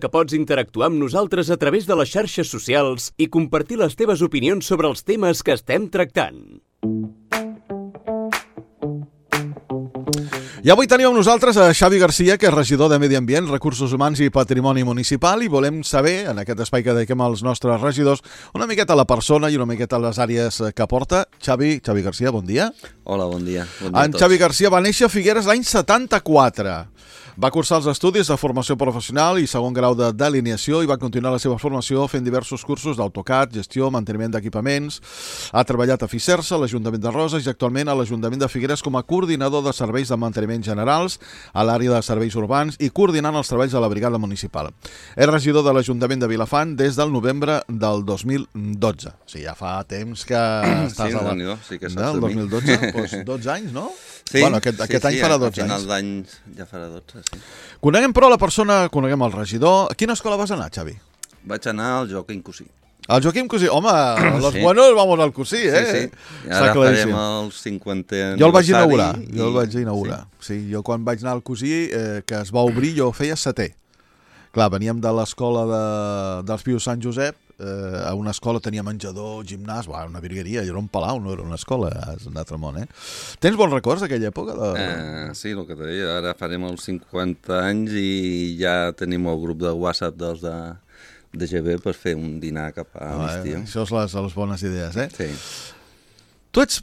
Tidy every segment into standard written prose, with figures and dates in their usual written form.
que pots interactuar amb nosaltres a través de les xarxes socials i compartir les teves opinions sobre els temes que estem tractant. I avui tenim amb nosaltres a Xavi Garcia, que és regidor de Medi Ambient, Recursos Humans i Patrimoni Municipal, i volem saber, en aquest espai que dediquem als nostres regidors, una miqueta a la persona i una miqueta a les àrees que porta. Xavi Garcia, bon dia. Hola, bon dia. Bon dia en Xavi Garcia va néixer a Figueres l'any 74. Va cursar els estudis de formació professional i segon grau de delineació i va continuar la seva formació fent diversos cursos d'AutoCAD, gestió, manteniment d'equipaments. Ha treballat a Fisersa, a l'Ajuntament de Roses i actualment a l'Ajuntament de Figueres com a coordinador de serveis de manteniment generals a l'àrea de serveis urbans i coordinant els treballs de la brigada municipal. És regidor de l'Ajuntament de Vilafant des del novembre del 2012. O sigui, ja fa temps que estàs a la... Sí, que saps del de mi. 2012, doncs 12 anys, no? Sí, Bueno, aquest any farà 12 anys. A final d'any ja farà 12, sí. Coneguem però la persona, coneguem el regidor. A quina escola vas anar, Xavi? Vaig anar al Joaquim Cosí. Al Joaquim Cosí. Home, los Sí. buenos vamos al Cosí, eh? Sí. I Està ara claríssim. farem el 50è aniversari. Jo el vaig inaugurar. Sí, jo quan vaig anar al Cosí, que es va obrir, jo feia setè. Clar, veníem de l'escola dels Pius Sant Josep, a una escola tenia menjador, gimnàs, una virgueria, jo era un palau, no era una escola, és un altre món, eh? Tens bons records d'aquella època? Sí, el que te deia, ara farem els 50 anys i ja tenim el grup de WhatsApp dels de GB per fer un dinar cap a l'estiu. Això és les bones idees, eh? Sí. Tu ets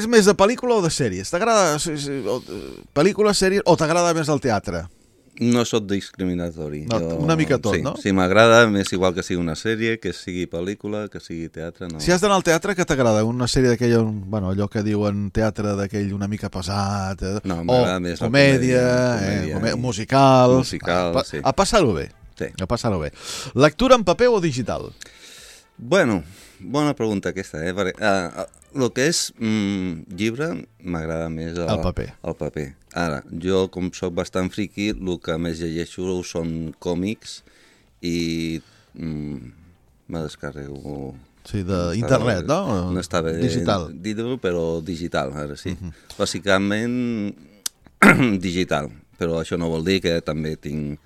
més de pel·lícula o de sèries? T'agrada pel·lícula, sèries, o t'agrada més el teatre? No soc discriminatori. No, una mica tot, sí, no? Sí, m'agrada, m'és igual que sigui una sèrie, que sigui pel·lícula, que sigui teatre. No. Si has d'anar al teatre, què t'agrada? Una sèrie d'aquella, bueno, allò que diuen teatre d'aquell una mica pesat, No, m'agrada més la comèdia, musical... Sí. A passar-ho bé. Sí. A passar-ho bé. Lectura en paper o digital? Bueno, bona pregunta aquesta, eh? Perquè, el que és llibre m'agrada més el paper. El paper. Ara, jo com soc bastant friqui, el que més llegeixo són còmics i me descarrego... Sí, d'internet, no? No està bé digital. Dir-ho, però digital, ara sí. Bàsicament digital, però això no vol dir que també tinc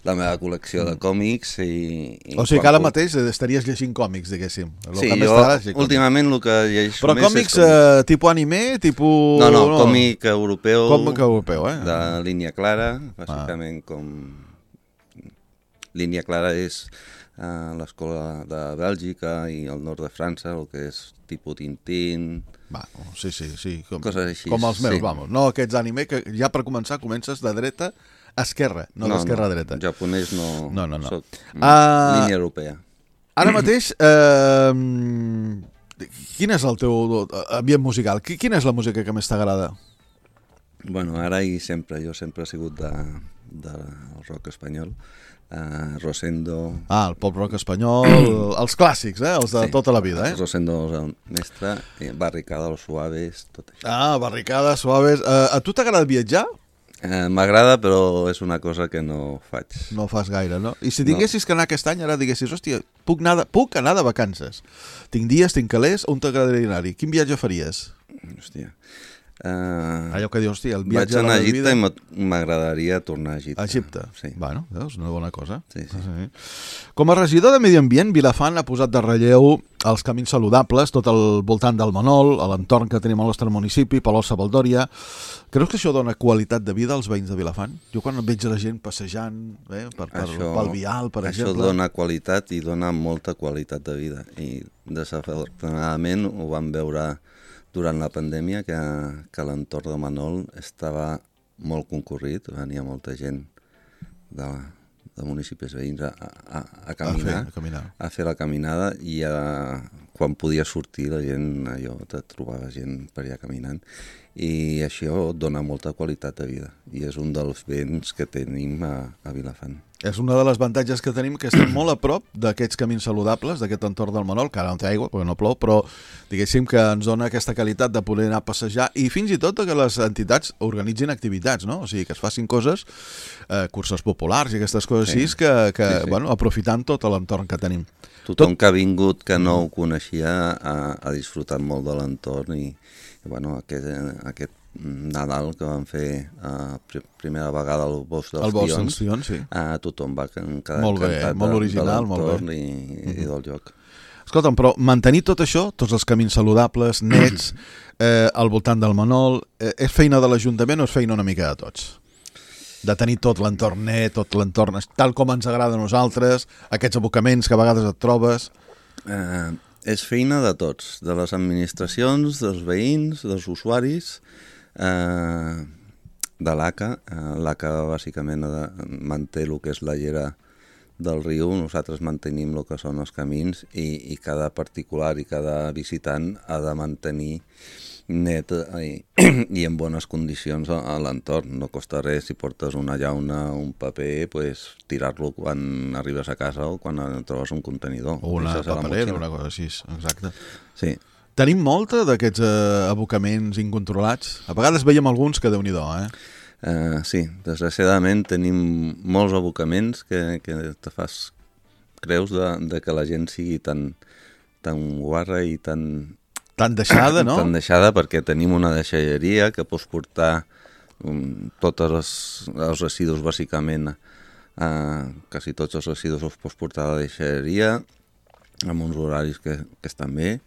la meva col·lecció de còmics o sigui que ara mateix estaries llegint còmics, diguéssim. Sí, jo últimament el que llegeixo però més còmics tipus anime, tipus... No, còmic europeu. Còmic europeu, de línia clara, bàsicament com... Línia clara és l'escola de Bèlgica i el nord de França, el que és tipus Tintín... Sí. Coses així. Com els meus, vamos. No aquests anime que ja per començar comences de dreta a esquerra, no d'esquerra a dreta. Japonès no. Soc línia europea. Ara mateix, quin és el teu ambient musical? Quina és la música que més t'agrada? Bueno, ara i sempre. Jo sempre he sigut del rock espanyol. Rosendo... El pop-rock espanyol, els clàssics, els de tota la vida, Rosendo és el mestre, Barricada, Los Suaves, tot això. Barricada, Suaves... A tu t'agrada viatjar? M'agrada, però és una cosa que no faig. No fas gaire, no? I si tinguessis que anar aquest any, ara diguessis, hòstia, puc anar de vacances. Tinc dies, tinc calés, on t'agradaria anar-hi? Quin viatge faries? Hòstia... allò que dius, hòstia, el viatge vaig anar a a Egipte i m'agradaria tornar a Egipte. A Egipte? Sí. Bueno, és una bona cosa. Sí. Com a regidor de Medi Ambient, Vilafant ha posat de relleu els camins saludables, tot al voltant del Manol, a l'entorn que tenim al nostre municipi, Palau-Savaldòria. Creus que això dona qualitat de vida als veïns de Vilafant? Jo quan veig la gent passejant pel vial, per exemple... Això dona qualitat i dona molta qualitat de vida. I desafortunadament ho vam veure durant la pandèmia, que l'entorn de Manol estava molt concurrit, venia molta gent de municipis veïns a caminar, a fer la caminada, i quan podia sortir la gent, te trobava gent per allà caminant, i això dona molta qualitat de vida, i és un dels béns que tenim a Vilafant. És una de les avantatges que tenim, que estem molt a prop d'aquests camins saludables, d'aquest entorn del Manol, que ara no té aigua, perquè no plou, però diguéssim que ens dona aquesta qualitat de poder anar a passejar i fins i tot que les entitats organitzin activitats, no? O sigui, que es facin coses, curses populars i aquestes coses així, que bueno, aprofitant tot l'entorn que tenim. Tothom que ha vingut, que no ho coneixia, ha disfrutat molt de l'entorn i bueno, aquest Nadal, que van fer primera vegada el Bosc dels Tions, sí. Tothom va quedar molt bé, encantat molt original, de l'entorn i del lloc. Escolta'm, però mantenir tot això, tots els camins saludables, nets, al voltant del Manol, és feina de l'Ajuntament o és feina una mica de tots? De tenir tot l'entorn net, tot l'entorn tal com ens agrada a nosaltres, aquests abocaments que a vegades et trobes... És feina de tots, de les administracions, dels veïns, dels usuaris, de l'ACA. L'ACA bàsicament manté el que és la llera del riu, nosaltres mantenim el que són els camins i cada particular i cada visitant ha de mantenir net i en bones condicions a l'entorn. No costa res si portes una llauna, un paper, pues, tirar-lo quan arribes a casa o quan trobes un contenidor. O una paperera, una cosa així, exacte. Sí. Tenim molta d'aquests abocaments incontrolats? A vegades veiem alguns que Déu-n'hi-do, Sí, desgraciadament tenim molts abocaments que te fas creus de que la gent sigui tan guarra i tan deixada, no? Tan deixada, perquè tenim una deixalleria que pots portar tots els residus, bàsicament, quasi tots els residus els pots portar a la deixalleria, amb uns horaris que estan bé.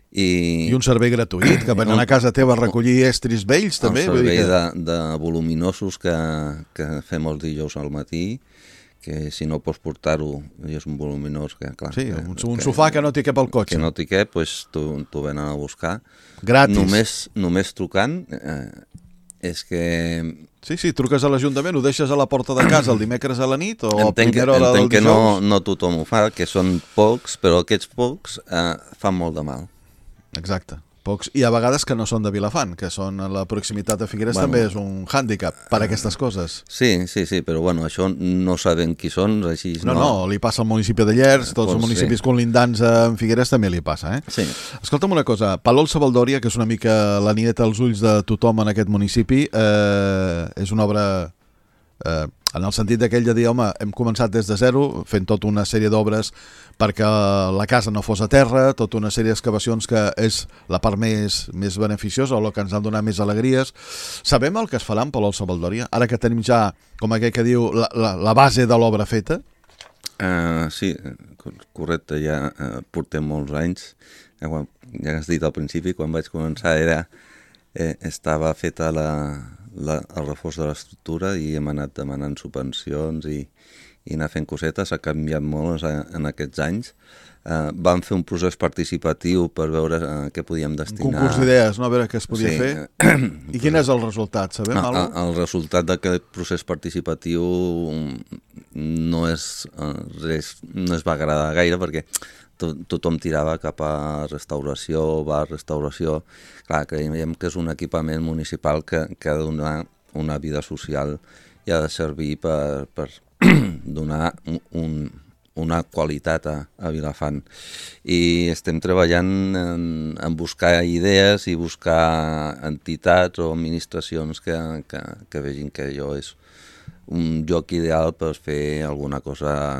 I un servei gratuït, que venen a casa teva a recollir estris vells, també? Un servei de voluminosos que fem els dijous al matí, que si no pots portar-ho, és un voluminós que, clar... Sí, un sofà que no t'hi cap al cotxe. Que no t'hi cap, doncs t'ho venen a buscar. Gratis. Només trucant, és que... Sí, truques a l'Ajuntament, ho deixes a la porta de casa el dimecres a la nit o a primera hora del dijous? Entenc que no tothom ho fa, que són pocs, però aquests pocs fan molt de mal. Exacte, pocs, i a vegades que no són de Vilafant, que són a la proximitat de Figueres, també és un hàndicap per a aquestes coses. Sí, però bueno, això no sabem qui són, així no... No, li passa al municipi de Llers, tots els municipis colindants en Figueres també li passa, Sí. Escolta'm una cosa, Palol-Savaldòria, que és una mica la nieta als ulls de tothom en aquest municipi, és una obra... en el sentit d'aquell de dir, home, hem començat des de zero, fent tota una sèrie d'obres perquè la casa no fos a terra, tota una sèrie d'excavacions que és la part més beneficiosa o el que ens ha donat més alegries. Sabem el que es farà en Palol-Savaldòria? Ara que tenim ja, com aquell que diu, la base de l'obra feta? Sí, correcte, ja portem molts anys. Ja has dit al principi, quan vaig començar estava feta el reforç de l'estructura i hem anat demanant subvencions i anar fent cosetes. Ha canviat molt en aquests anys. Vam fer un procés participatiu per veure què podíem destinar. Un concurs d'idees, no? A veure què es podia fer. I quin és el resultat? Sabem alguna cosa? El resultat d'aquest procés participatiu no es va agradar gaire perquè tothom tirava cap a restauració, restauració. Clar, creiem que és un equipament municipal que ha de donar una vida social i ha de servir per donar una qualitat a Vilafant. I estem treballant en buscar idees i buscar entitats o administracions que vegin que allò és un lloc ideal per fer alguna cosa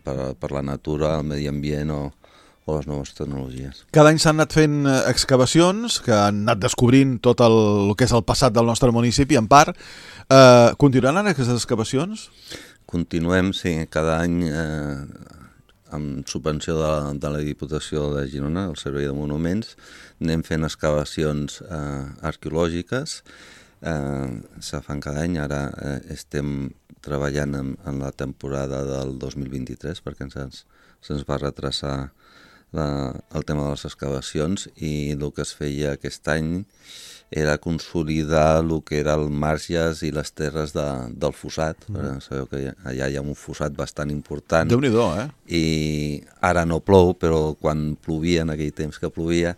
per la natura, el medi ambient o les noves tecnologies. Cada any s'han anat fent excavacions que han anat descobrint tot el que és el passat del nostre municipi, en part. Continuaran aquestes excavacions? Continuem, sí, cada any amb subvenció de la Diputació de Girona, el Servei de Monuments, anem fent excavacions arqueològiques. Se fan cada any, ara estem treballant en la temporada del 2023 perquè se'ns va retrasar el tema de les excavacions i el que es feia aquest any era consolidar el que era el marges i les terres del fossat. Sabeu que allà hi ha un fossat bastant important. Déu-n'hi-do, I ara no plou, però quan plovia, en aquell temps que plovia,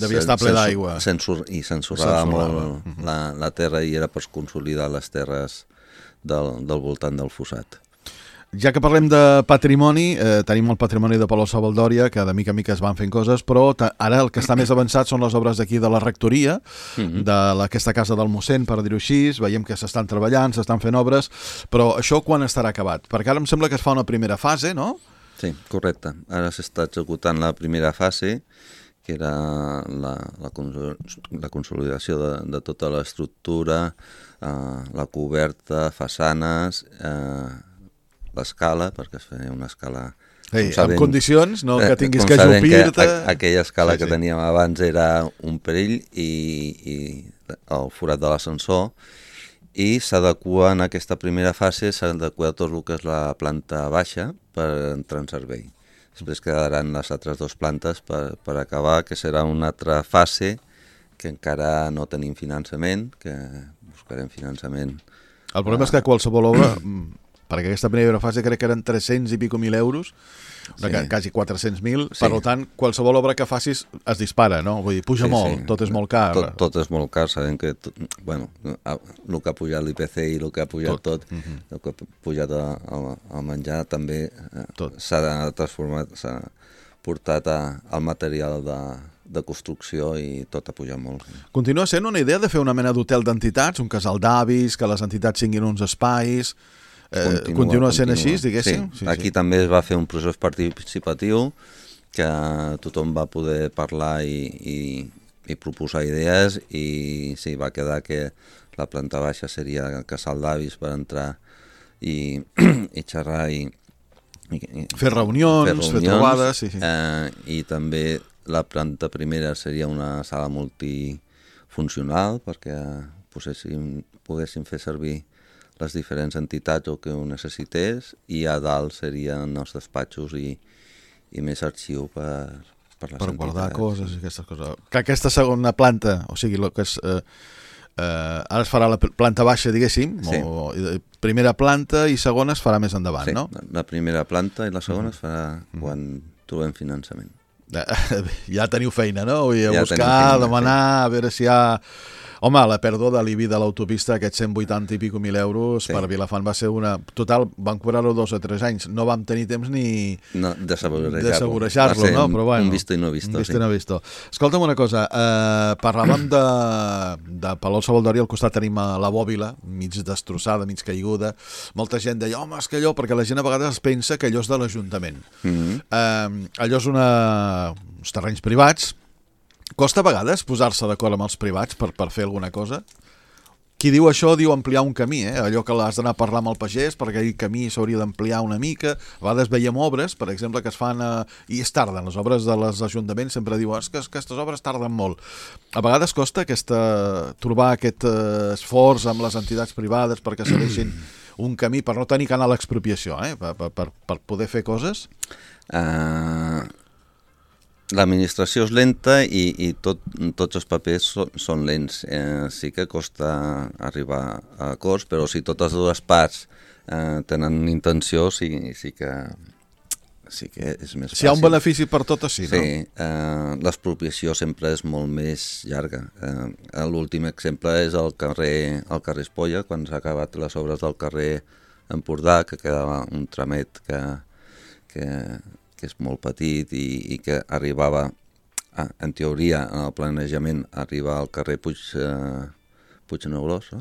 devia estar ple d'aigua i s'ensorrava molt la terra i era per consolidar les terres del voltant del fossat. Ja que parlem de patrimoni, tenim el patrimoni de Palol-Savaldòria, que de mica en mica es van fent coses, però ara el que està més avançat són les obres d'aquí de la rectoria, d'aquesta casa del mossèn, per dir-ho així. Veiem que s'estan treballant, s'estan fent obres, però això quan estarà acabat? Perquè ara em sembla que es fa una primera fase, no? Sí, correcte. Ara s'està executant la primera fase, que era la consolidació de tota l'estructura, la coberta, façanes, l'escala, perquè es feia una escala... en condicions, no que tinguis que ajupir-te... Aquella escala que teníem abans era un perill i el forat de l'ascensor, i s'adequa en aquesta primera fase, s'adequa tot el que és la planta baixa per entrar en servei. Després quedaran les altres dues plantes per acabar, que serà una altra fase que encara no tenim finançament, que buscarem finançament. El problema és que qualsevol obra, perquè aquesta primera fase crec que eren 300 i pico mil euros, quasi 400.000, per tant, qualsevol obra que facis es dispara, no? Vull dir, puja molt, tot és molt car. Tot és molt car, sabem que, el que ha pujat l'IPC i el que ha pujat tot, el que ha pujat el menjar també s'ha transformat, s'ha portat al material de construcció i tot ha pujat molt. Continua sent una idea de fer una mena d'hotel d'entitats, un casal d'avis, que les entitats tinguin uns espais... Continua sent així, diguéssim? Sí. Aquí també es va fer un procés participatiu que tothom va poder parlar i proposar idees, i sí, va quedar que la planta baixa seria el casal d'avis per entrar i xerrar i fer reunions, fer trobades. I també la planta primera seria una sala multifuncional perquè poguéssim fer servir les diferents entitats o que ho necessités, i a dalt serien els despatxos i més arxiu per les entitats. Per guardar coses i aquestes coses. Que aquesta segona planta, o sigui, el que és... ara es farà la planta baixa, diguéssim, o primera planta i segona es farà més endavant, no? Sí, la primera planta i la segona es farà quan trobem finançament. Ja teniu feina, no? A buscar, a demanar, a veure si hi ha... Home, la pèrdua de l'IBI de l'autopista, aquests 180 i pico mil euros, per Vilafant va ser una... Total, van cobrar-ho 2 o 3 anys. No vam tenir temps ni... de saborejar-lo, no? Però bueno, un visto i no visto. Un visto i no visto. Escolta'm una cosa, parlàvem de Palol Sabaldori, al costat tenim la Bòbila, mig destrossada, mig caiguda. Molta gent deia, home, és que allò, perquè la gent a vegades es pensa que allò és de l'Ajuntament. Allò és uns terrenys privats. Costa a vegades posar-se d'acord amb els privats per fer alguna cosa? Qui diu això diu ampliar un camí, allò que l'has d'anar a parlar amb el pagès perquè aquell camí s'hauria d'ampliar una mica. A vegades veiem obres, per exemple, que es fan i es tarden. Les obres dels ajuntaments sempre diuen que aquestes obres tarden molt. A vegades costa trobar aquest esforç amb les entitats privades perquè segueixin un camí per no tenir que anar a l'expropiació, per poder fer coses? L'administració és lenta i tots els papers són lents. Sí que costa arribar a acords, però si totes dues parts tenen intenció, sí que és més fàcil. Si hi ha un benefici per totes, sí, no? Sí, l'expropiació sempre és molt més llarga. L'últim exemple és el carrer Espolla, quan s'ha acabat les obres del carrer Empordà, que quedava un tramet que és molt petit i que arribava, en teoria, en el planejament, arriba al carrer Puignegrós.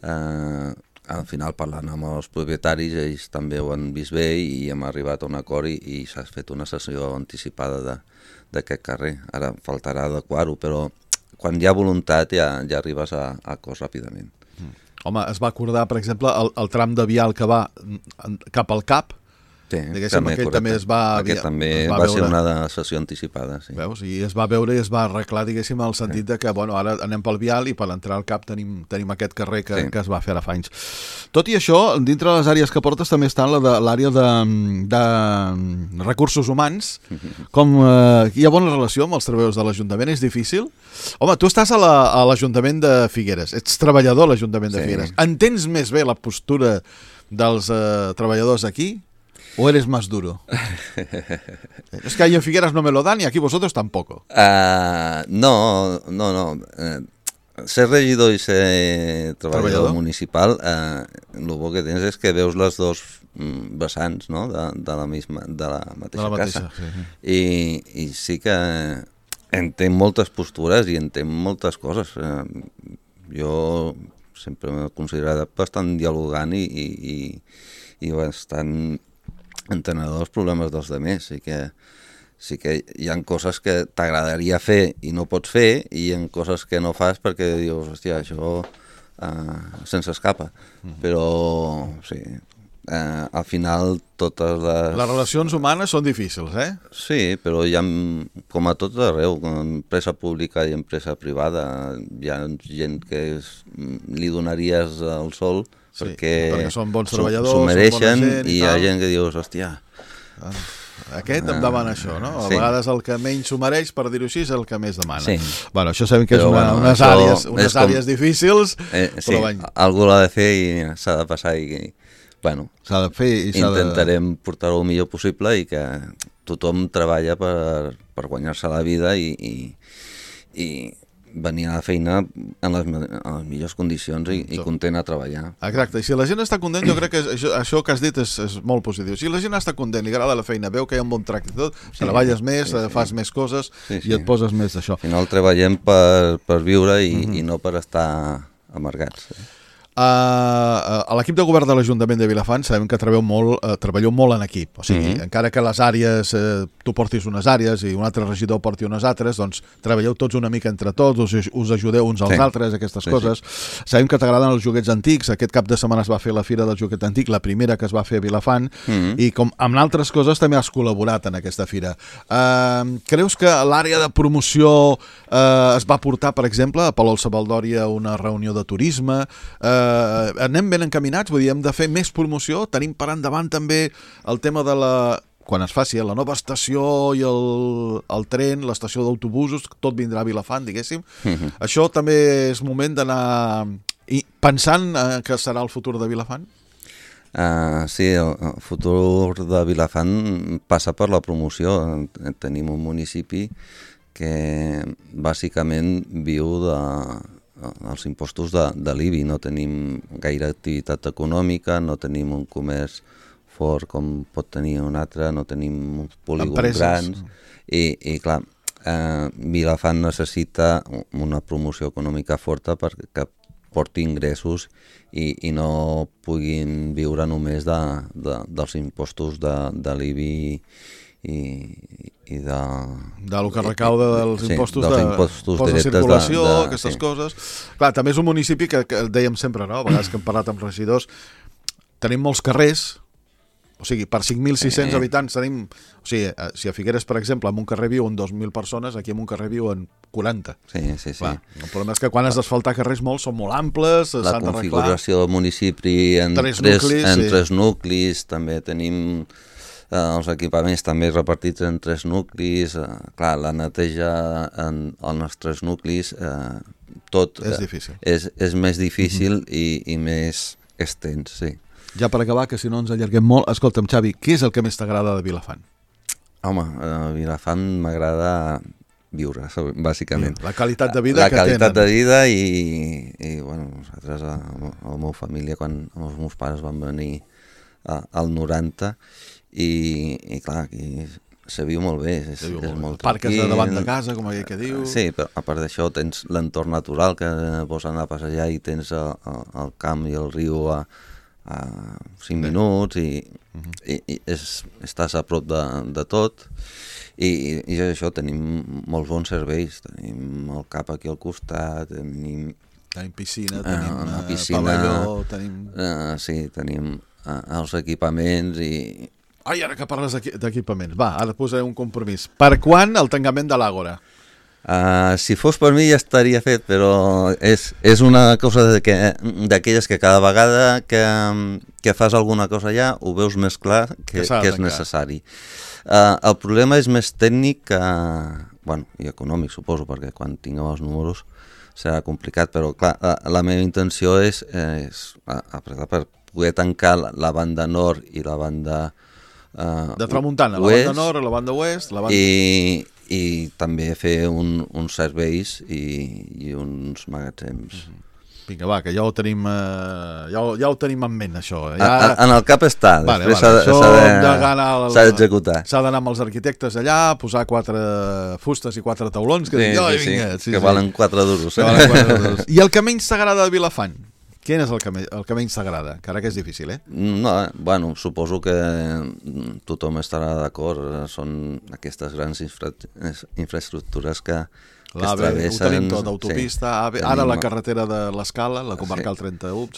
Al final, parlant amb els propietaris, ells també ho han vist bé i hem arribat a un acord i s'ha fet una sessió anticipada d'aquest carrer. Ara faltarà adequar-ho, però quan hi ha voluntat ja arribes a acords ràpidament. Home, es va acordar, per exemple, el tram de vial que va cap al CAP. Sí, aquell també es va... Aquest també va ser una sessió anticipada, sí. Veus? I es va veure i es va arreglar, diguéssim, el sentit de que, bueno, ara anem pel vial i per entrar al CAP tenim aquest carrer que es va fer ara fa anys. Tot i això, dintre de les àrees que portes també està l'àrea de recursos humans. Com hi ha bona relació amb els treballadors de l'Ajuntament? És difícil? Home, tu estàs a l'Ajuntament de Figueres, ets treballador a l'Ajuntament de Figueres. Entens més bé la postura dels treballadors aquí? ¿O eres más duro? Es que ahí en Figueras no me lo dan y aquí vosotros tampoco. No. Ser regidor i ser treballador municipal, el bo que tens és que veus les dos vessants, no? de la mateixa casa. Sí. I sí que entenc moltes postures i entenc moltes coses. Jo sempre m'he considerat bastant dialogant i bastant entenedor els problemes dels altres, i que sí que hi ha coses que t'agradaria fer i no pots fer, i hi ha coses que no fas perquè dius, hòstia, això se'ns escapa. Però, sí, al final totes les... Les relacions humanes són difícils, eh? Sí, però hi ha, com a tot arreu, empresa pública i empresa privada, hi ha gent que li donaries el sol perquè són bons treballadors, s'ho mereixen, són bona gent i hi ha gent que dius, hòstia... Aquest em demana això, no? A vegades el que menys s'ho mereix, per dir-ho així, és el que més demana. Sí. Bueno, això sabem que és unes àrees difícils, però algú l'ha de fer i s'ha de passar i... Bueno, s'ha de fer i intentarem portar-ho el millor possible i que tothom treballa per guanyar-se la vida i venir a la feina en les millors condicions i content a treballar. Exacte, i si la gent està content, jo crec que això que has dit és molt positiu. Si la gent està content, li agrada la feina, veu que hi ha un bon tracte i tot, treballes més, fas més coses i et poses més d'això. Al final treballem per viure i no per estar amargats. A l'equip de govern de l'Ajuntament de Vilafant sabem que treballeu molt en equip, o sigui, encara que les àrees, tu portis unes àrees i un altre regidor porti unes altres, doncs treballeu tots una mica entre tots, us ajudeu uns als altres, aquestes coses. Sabem que t'agraden els joguets antics, aquest cap de setmana es va fer la Fira del Joguet Antic, la primera que es va fer a Vilafant, i com amb altres coses també has col·laborat en aquesta fira. Creus que l'àrea de promoció es va portar, per exemple, a Palol-Savaldòria una reunió de turisme, anem ben encaminats, vull dir, hem de fer més promoció, tenim per endavant també el tema de quan es faci la nova estació i el tren, l'estació d'autobusos, tot vindrà a Vilafant, diguéssim. Això també és moment d'anar pensant que serà el futur de Vilafant? Sí, el futur de Vilafant passa per la promoció. Tenim un municipi que bàsicament viu els impostos de l'IBI, no tenim gaire activitat econòmica, no tenim un comerç fort com pot tenir un altre, no tenim uns polígons grans i clar, Vilafant necessita una promoció econòmica forta perquè porti ingressos i no puguin viure només dels impostos de l'IBI i del que recauda dels impostos de circulació, aquestes coses. Clar, també és un municipi que dèiem sempre, no? A vegades que hem parlat amb regidors, tenim molts carrers, o sigui, per 5.600 habitants tenim... O sigui, si a Figueres, per exemple, en un carrer viuen 2.000 persones, aquí en un carrer viuen 40. Sí. Clar, el problema és que quan has d'asfaltar carrers molts són molt amples, s'han d'arreglar. La configuració del municipi en tres nuclis, també tenim... els equipaments també repartits en 3 nuclis, clar, la neteja en els 3 nuclis, tot és difícil. És més difícil i més extens, sí. Ja per acabar, que si no ens allarguem molt, escolta'm, Xavi, què és el que més t'agrada de Vilafant? Home, a Vilafant m'agrada viure, bàsicament. La qualitat de vida que tenen. La qualitat de vida i bueno, nosaltres, la meva família, quan els meus pares van venir al 90, i clar, aquí se viu molt bé, és molt tranquil. Parques davant de casa, com aquell que diu. Sí, però a part d'això tens l'entorn natural, que vols anar a passejar i tens el camp i el riu a 5 minuts i estàs a prop de tot i això, tenim molts bons serveis, tenim el CAP aquí al costat, tenim piscina, tenim pavelló, sí, tenim els equipaments i... Ai, ara que parles d'equipaments, va, ara posaré un compromís. Per quan el tancament de l'Àgora? Si fos per mi ja estaria fet, però és una cosa d'aquelles que cada vegada que fas alguna cosa allà ho veus més clar que és necessari. El problema és més tècnic i econòmic, suposo, perquè quan tinguem els números serà complicat, però clar, la meva intenció és apretar per poder tancar la banda nord i la banda de tramuntana, la banda nord, la banda oest, i també fer uns serveis i uns magatzems. Vinga, va, que ja ho tenim en ment, això. En el cap està, després s'ha d'executar. S'ha d'anar amb els arquitectes allà, posar 4 fustes i 4 taulons, que valen 4 duros. I el que menys t'agrada de Vilafant? Quin és el que menys t'agrada? Encara que és difícil, No, bueno, suposo que tothom estarà d'acord. Són aquestes grans infraestructures que es travessen. Ho tenim tot, autopista, ara la carretera de l'Escala, la comarcal 31,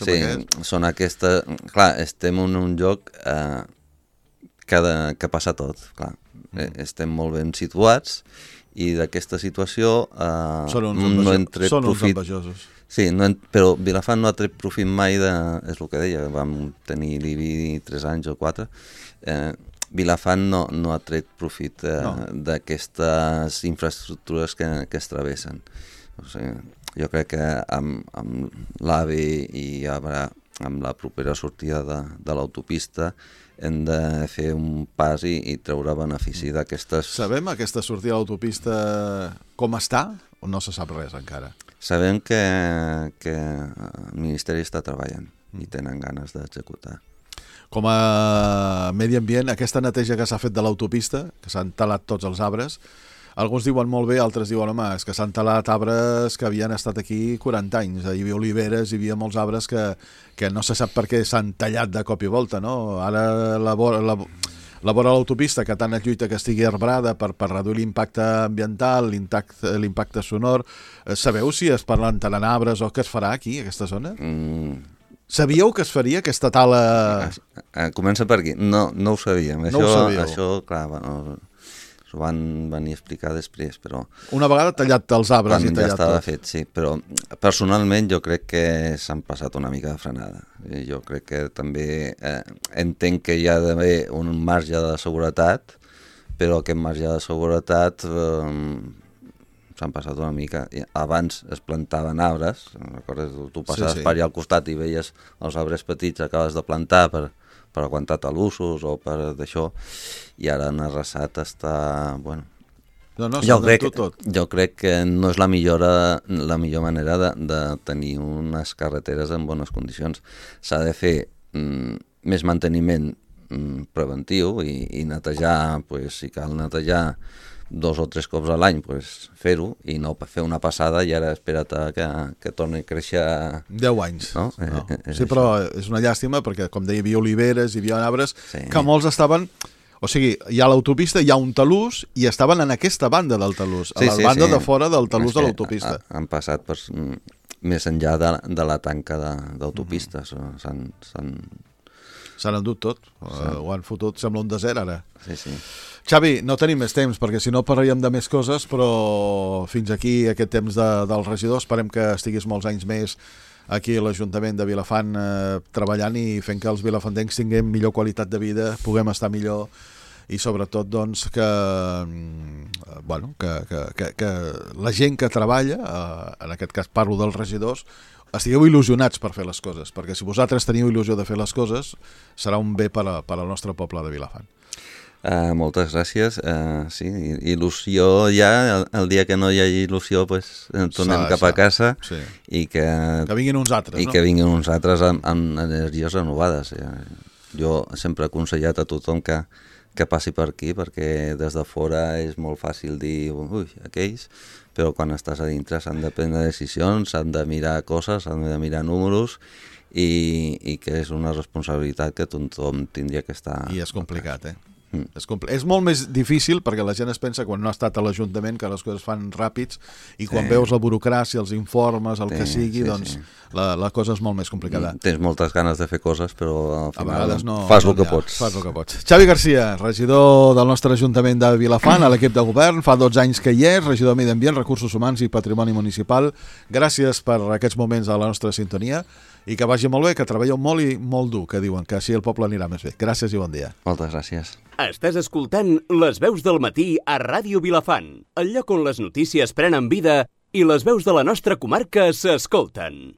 són aquestes... Clar, estem en un lloc que passa tot, clar. Estem molt ben situats i d'aquesta situació no hem tret profit. Envejosos. Sí, però Vilafant no ha tret profit mai és el que deia, vam tenir l'IBI 3 anys o 4. Vilafant no ha tret profit d'aquestes infraestructures que es travessen. O sigui, jo crec que amb l'AVE i amb la propera sortida de l'autopista hem de fer un pas i treure benefici d'aquestes... Sabem aquesta sortida de l'autopista com està o no se sap res encara? Sabem que el Ministeri està treballant i tenen ganes d'executar. Com a medi ambient, aquesta neteja que s'ha fet de l'autopista, que s'han talat tots els arbres, alguns diuen molt bé, altres diuen, home, és que s'han talat arbres que havien estat aquí 40 anys. Hi havia oliveres, hi havia molts arbres que no se sap per què s'han tallat de cop i volta, no? Ara la vora l'autopista, que tant es lluita que estigui arbrada per reduir l'impacte ambiental, l'impacte sonor. Sabeu si es plantaran arbres o què es farà aquí, a aquesta zona? Sabíeu que es faria aquesta tala? Comença per aquí. No ho sabíem. No ho sabíeu. Això, clar, s'ho van venir a explicar després, però... Una vegada tallat els arbres i tallat tot. Quan ja estava fet, sí, però personalment jo crec que s'han passat una mica de frenada. Jo crec que també entenc que hi ha d'haver un marge de seguretat, però aquest marge de seguretat s'han passat una mica. Abans es plantaven arbres, recordes? Tu passaves per allà al costat i veies els arbres petits que acabes de plantar per aguantar talussos o per d'això, i ara en arrasat està... Bueno, jo crec que no és la millor manera de tenir unes carreteres en bones condicions. S'ha de fer més manteniment preventiu i netejar, si cal netejar 2 o 3 cops a l'any, fer-ho i no fer una passada i ara espera't que torni a créixer 10 anys. No? Sí, però és una llàstima perquè, com deia, hi havia oliveres, hi havia arbres que molts estaven... O sigui, hi ha l'autopista, hi ha un talús i estaven en aquesta banda del talús, a la banda de fora del talús de l'autopista. Han passat més enllà de la tanca d'autopistes. S'han endut tot, ho han fotut, sembla un desert ara. Sí. Xavi, no tenim més temps, perquè si no parlaríem de més coses, però fins aquí aquest temps del regidor. Esperem que estiguis molts anys més aquí a l'Ajuntament de Vilafant treballant i fent que els vilafantencs tinguem millor qualitat de vida, puguem estar millor i sobretot doncs, que la gent que treballa, en aquest cas parlo dels regidors, estigueu il·lusionats per fer les coses, perquè si vosaltres teniu il·lusió de fer les coses serà un bé per al nostre poble de Vilafant. Moltes gràcies. Sí, il·lusió ja, el dia que no hi hagi il·lusió tornem cap a casa i que vinguin uns altres, i que vinguin uns altres amb energies renovades. Jo sempre he aconsellat a tothom que passi per aquí, perquè des de fora és molt fàcil dir aquells, però quan estàs a dintre s'han de prendre decisions, s'han de mirar coses, s'han de mirar números i que és una responsabilitat que tothom tindria que estar... I és complicat, És molt més difícil perquè la gent es pensa quan no ha estat a l'Ajuntament que les coses fan ràpids i quan veus la burocràcia, els informes, el que sigui, doncs la cosa és molt més complicada. Tens moltes ganes de fer coses, però al final fas el que pots. Xavi Garcia, regidor del nostre Ajuntament de Vilafant, a l'equip de govern, fa 12 anys que hi és, regidor de Medi Ambient, Recursos Humans i Patrimoni Municipal. Gràcies per aquests moments a la nostra sintonia i que vagi molt bé, que treballeu molt i molt dur, que diuen, que així el poble anirà més bé. Gràcies i bon dia. Moltes gràcies. Estàs escoltant Les Veus del Matí a Ràdio Vilafant, el lloc on les notícies prenen vida i les veus de la nostra comarca s'escolten.